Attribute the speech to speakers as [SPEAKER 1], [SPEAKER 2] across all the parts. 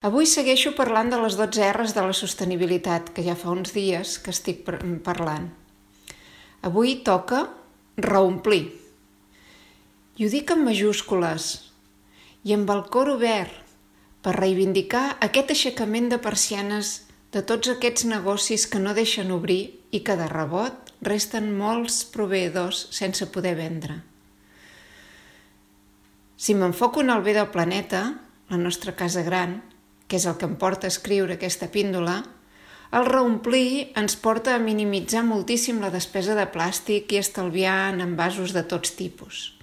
[SPEAKER 1] Avui segueixo parlant de les 12 R's de la sostenibilitat, que ja fa uns dies que estic parlant. Avui toca reomplir. I ho dic en majúscules i amb el cor obert per reivindicar aquest aixecament de persianes de tots aquests negocis que no deixen obrir i que de rebot resten molts proveïdors sense poder vendre. Si m'enfoco en el bé del planeta, la nostra casa gran, que és el que em porta a escriure aquesta píndola, el reomplir ens porta a minimitzar moltíssim la despesa de plàstic i estalviar en envasos de tots tipus.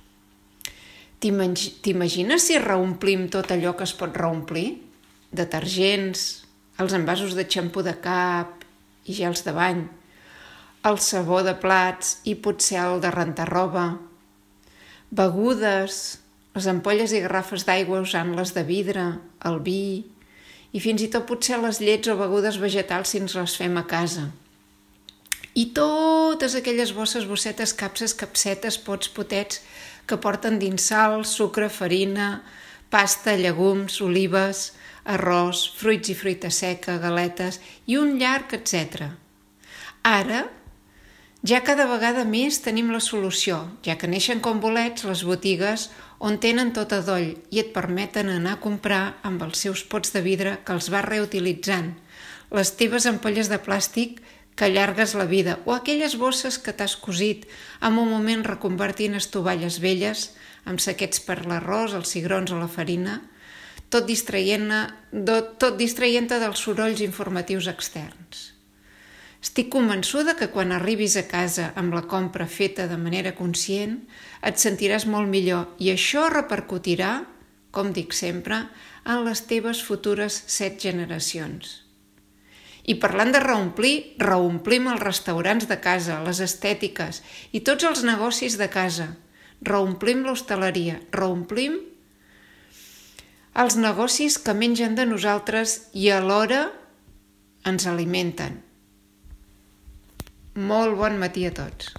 [SPEAKER 1] T'imagines si reomplim tot allò que es pot reomplir? Detergents, els envasos de xampú de cap i gels de bany, el sabó de plats i potser el de rentar roba, begudes, les ampolles i garrafes d'aigua usant-les de vidre, el vi i fins i tot potser les llets o begudes vegetals si ens les fem a casa. I totes aquelles bosses, bossetes, capses, capsetes, pots, potets que porten dins sal, sucre, farina, pasta, llegums, olives, arròs, fruits i fruita seca, galetes i un llarg etcètera. Ara, ja cada vegada més tenim la solució, ja que neixen com bolets les botigues on tenen tot a doll i et permeten anar a comprar amb els seus pots de vidre que els vas reutilitzant, les teves ampolles de plàstic que allargues la vida o aquelles bosses que t'has cosit en un moment reconvertint estovalles velles amb saquets per l'arròs, els cigrons o la farina, tot distraient-te dels sorolls informatius externs. Estic convençuda que quan arribis a casa amb la compra feta de manera conscient et sentiràs molt millor i això repercutirà, com dic sempre, en les teves futures 7 generacions. I parlant de reomplir, reomplim els restaurants de casa, les estètiques i tots els negocis de casa. Reomplim l'hostaleria, reomplim els negocis que mengen de nosaltres i alhora ens alimenten. Molt bon matí a tots.